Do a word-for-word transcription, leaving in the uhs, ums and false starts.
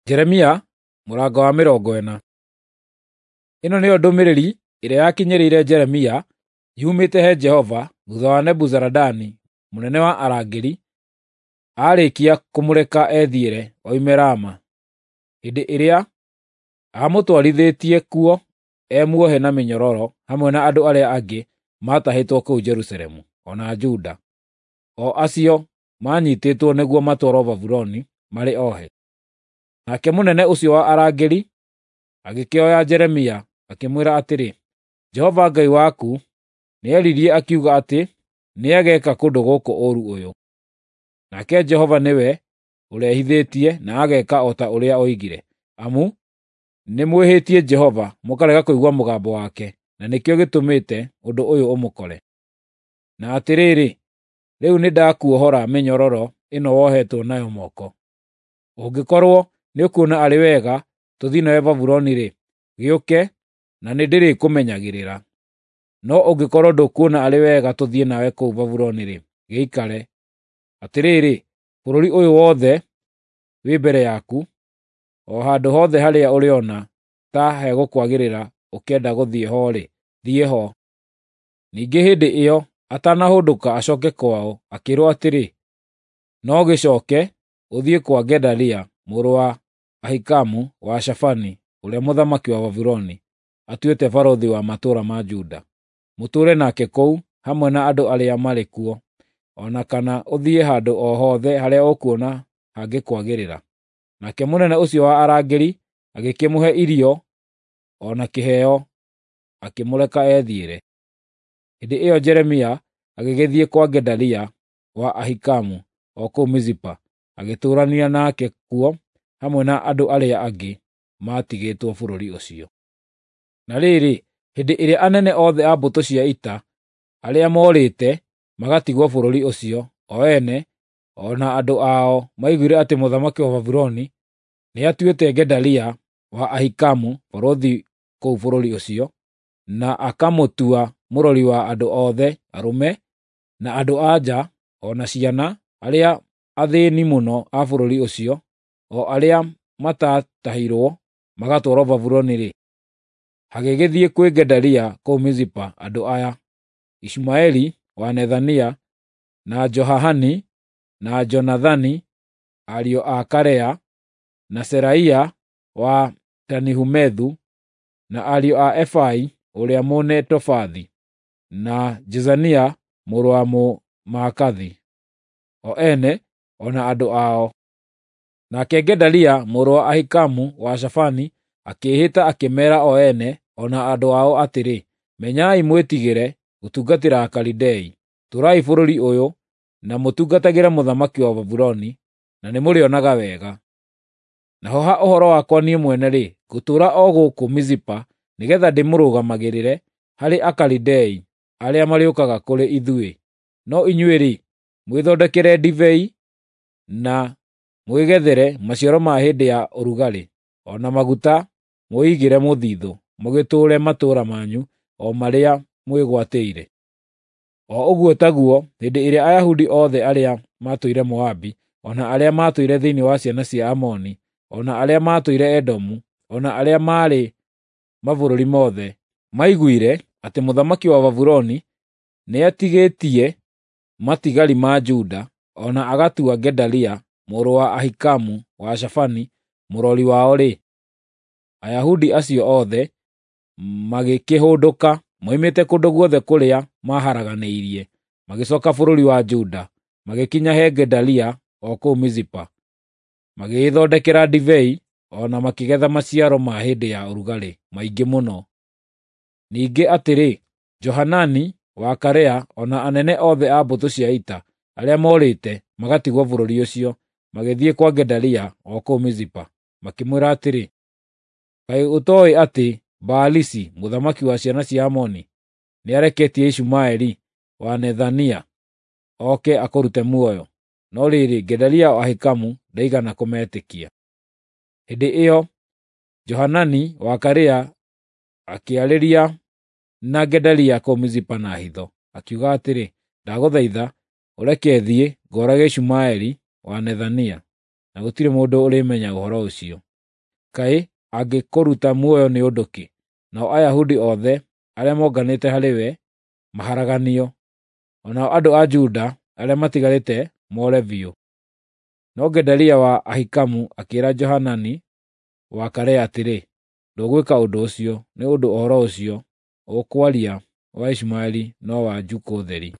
Jeremia mũrango wa mĩrongo ĩna. Ĩno nĩyo ndũmĩrĩri ĩrĩa yakinyĩrĩire Jeremia yumĩte he Jehova thuutha wa Nebuzaradani mũnene wa arangĩri aarĩkia kũmũreka ethiĩre oime Rama, hĩndĩ ĩrĩa aamũtwarithĩtie kuo e muohe na mĩnyororo hamwe na andũ arĩa angĩ maatahĩtwo kũu Jerusalemu o na Juda, o acio maanyiitĩtwo nĩguo matwarwo Babuloni marĩ ohe. Nake mũnene ũcio wa arangĩri agĩkĩoya Jeremia akĩmwĩra atĩrĩ, “Jehova Ngai waku nĩaririe akiuga atĩ nĩageeka kũndũ gũkũ ũũru ũyũ. Nake Jehova nĩwe ũrehithĩtie na ageeka o ta ũrĩa oigire, amu nĩmwĩhĩtie Jehova mũkarega kũigua mũgambo wake, na nĩkĩo gĩtũmĩte ũndũ ũyũ ũmũkore. Na atĩrĩrĩ, rĩu nĩndakuohora mĩnyororo ĩno wohetwo nayo moko. Ũngĩkorwo nĩũkuona arĩ wega tũthiĩ nawe Babuloni-rĩ, gĩũke na nĩndĩrĩkũmenyagĩrĩra. No ũngĩkorwo ndũkuona arĩ wega tũthiĩ nawe kũu Babuloni-rĩ, gĩikare. Atĩrĩrĩ, bũrũri ũyũ wothe wĩ mbere yaku, o handũ hothe harĩa ũrĩona ta hegũkwagĩrĩra ũkĩenda gũthiĩ ho-rĩ, thiĩ ho.” Ningĩ hĩndĩ ĩyo atanahũndũka acooke kwao, akĩĩrwo atĩrĩ, “No gĩcooke ũthiĩ kwa Gedalia mũrũ wa Ahikamu wa Shafani ũrĩa mũthamaki wa Babuloni atuĩte barũthi wa matũũra ma Juda. Mũtũũre nake kũu hamwe na andũ arĩa marĩ kuo, o na kana ũthiĩ handũ o hothe harĩa ũkuona hangĩkwagĩrĩra.” Nake mũnene ũcio wa arangĩri agĩkĩmũhe irio o na kĩheo, akĩmũreka ethiĩre. Hĩndĩ ĩyo Jeremia agĩgĩthiĩ kwa Gedalia wa Ahikamu o kũu Mizipa, agĩtũũrania nake kuo hamwe na andũ arĩa angĩ maatigĩtwo bũrũri ũcio. Na rĩrĩ, hĩndĩ ĩrĩa anene othe a mbũtũ cia ita arĩa moorĩte magatigwo bũrũri ũcio, o ene o na andũ ao maiguire atĩ mũthamaki wa Babuloni nĩatuĩte Gedalia wa Ahikamu barũthi kũu bũrũri ũcio, na akamũtua mũrori wa andũ othe arũme na andũ-a-nja o na ciana arĩa athĩĩni mũno a bũrũri ũcio, o arĩa mataatahirwo magatwarwo Babuloni-rĩ, hagĩgĩthiĩ kwĩ Gedalia kũu Mizipa andũ aya: Ishumaeli wa Nethania, na Johahani na Jonathani ariũ a Karea, na Seraia wa Tanihumethu, na ariũ a Efai ũrĩa Mũnetofathi, na Jezania mũrũ wa Mũmaakathi, o ene o na andũ ao. Nake Gedalia mũrũ wa Ahikamu wa Shafani akĩĩhĩta akĩmeera o ene o na andũ ao atĩrĩ, “Menyai mwĩtigĩre gũtungatĩra Akalidei. Tũũrai bũrũri ũyũ na mũtungatagĩre mũthamaki wa Babuloni, na nĩmũrĩonaga wega. Naho ha ũhoro wakwa niĩ mwene-rĩ, ngũtũũra o gũkũ Mizipa nĩgeetha ndĩmũrũgamagĩrĩre harĩ Akalidei arĩa marĩũkaga kũrĩ ithuĩ. No inyuĩ-rĩ, mwĩthondekere ndibei na mwĩgethere maciaro ma hĩndĩ ya ũrugarĩ, o na maguta mwĩigĩre mũthithũ, mũgĩtũũre matũũra manyu o marĩa mwĩgwatĩire.” O ũguo taguo hĩndĩ ĩrĩa Ayahudi othe arĩa maatũire Moabi, o na arĩa maatũire thĩinĩ wa ciana cia Amoni, o na arĩa maatũire Edomu, o na arĩa maarĩ mabũrũri mothe, maiguire atĩ mũthamaki wa Babuloni nĩatigĩtie matigari ma Juda, o na agatua Gedalia mũrũ wa Ahikamu wa Shafani mũrori wao-rĩ, Ayahudi acio othe magĩkĩhũndũka moimĩte kũndũ guothe kũrĩa maaharaganĩirie, magĩcooka bũrũri wa Juda, magĩkinya he Gedalia o kũu Mizipa. Magĩĩthondekera ndibei o na makĩgetha maciaro ma hĩndĩ ya ũrugarĩ maingĩ mũno. Ningĩ atĩrĩ, Johanani wa Karea o na anene othe a mbũtũ cia ita arĩa moorĩte magatigwo bũrũri ũcio, magĩthiĩ kwa Gedalia o kũu Mizipa, makĩmwĩra atĩrĩ, “Kaĩ ũtooĩ atĩ Baalisi mũthamaki wa ciana cia Amoni nĩareketie Ishumaeli wa Nethania oke akũrute muoyo?” No rĩrĩ, Gedalia wa Ahikamu ndaigana kũmetĩkia. Hĩndĩ ĩyo Johanani wa Karea akĩarĩria na Gedalia kũu Mizipa na hitho, akiuga atĩrĩ, “Ndagũthaitha ũreke thiĩ ngoorage Ishumaeli wa Nethania, na gũtirĩ mũndũ ũrĩmenya ũhoro ũcio.” Kaĩ angĩkũruta muoyo nĩ ũndũ kĩ, nao Ayahudi othe arĩa monganĩte harĩ we maharaganio, o nao andũ a Juda arĩa matigarĩte more biũ?” No Gedalia wa Ahikamu akĩĩra Johanani wa Karea atĩrĩ, “Ndũgwĩka ũndũ ũcio, nĩ ũndũ ũhoro ũcio ũkwaria wa Ishumaeli no wa njukũ theri.”